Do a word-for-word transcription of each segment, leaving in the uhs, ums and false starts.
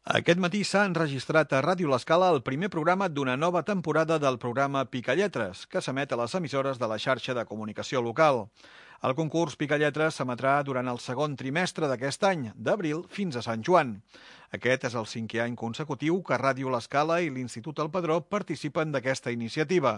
Aquest matí s'ha enregistrat a Ràdio L'Escala el primer programa d'una nova temporada del programa Picalletres, que s'emet a les emissores de la xarxa de comunicació local. El concurs Picalletres s'emetrà durant el segon trimestre d'aquest any, d'abril fins a Sant Joan. Aquest és el cinquè any consecutiu que Ràdio L'Escala i l'Institut El Padró participen d'aquesta iniciativa.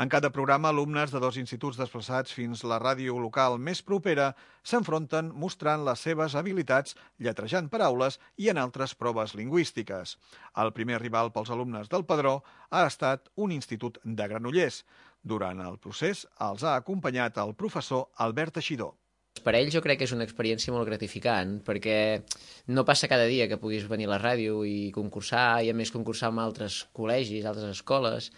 En cada programa, alumnes de dos instituts desplaçats fins la ràdio local més propera s'enfronten mostrant les seves habilitats lletrejant paraules i en altres proves lingüístiques. El primer rival pels alumnes del Padró ha estat un institut de Granollers. Durant el procés els ha acompanyat el professor Albert Teixidor. Per a ells jo crec que és una experiència molt gratificant, perquè no passa cada dia que puguis venir a la ràdio i concursar, i a més concursar amb altres col·legis, altres escoles,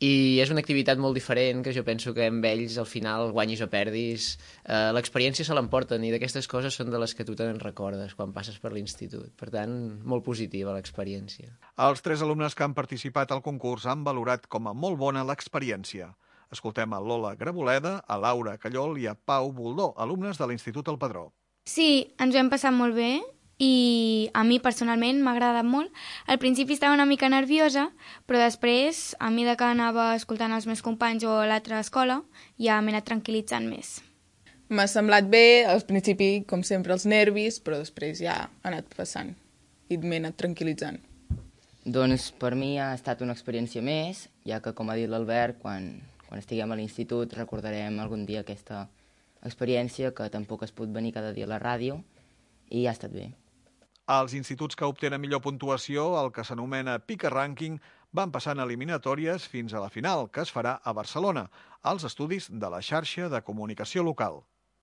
i és una activitat molt diferent que jo penso que amb ells al final, guanyis o perdis, eh, l'experiència se l'emporten, i d'aquestes coses són de les que tu te'n recordes quan passes per l'institut. Per tant, molt positiva l'experiència. Els tres alumnes que han participat al concurs han valorat com a molt bona l'experiència. Escoltem a Lola Graboleda, a Laura Callol i a Pau Boldó, alumnes de l'Institut El Padró. Sí, ens ho hem passat molt bé i a mi personalment m'ha agradat molt. Al principi estava una mica nerviosa, però després, a mesura que anava escoltant els meus companys o a l'altra escola, ja m'he anat tranquil·litzant més. M'ha semblat bé, al principi, com sempre, els nervis, però després ja ha anat passant i m'he anat tranquil·litzant. Doncs per mi ha estat una experiència més, ja que, com ha dit l'Albert, quan... Quan estiguem a l'institut recordarem algun dia aquesta experiència que tampoc es pot venir cada dia a la ràdio i ha estat bé. Els instituts que obtenen millor puntuació, el que s'anomena Pica Ranking, van passant eliminatòries fins a la final, que es farà a Barcelona, als estudis de la xarxa de comunicació local.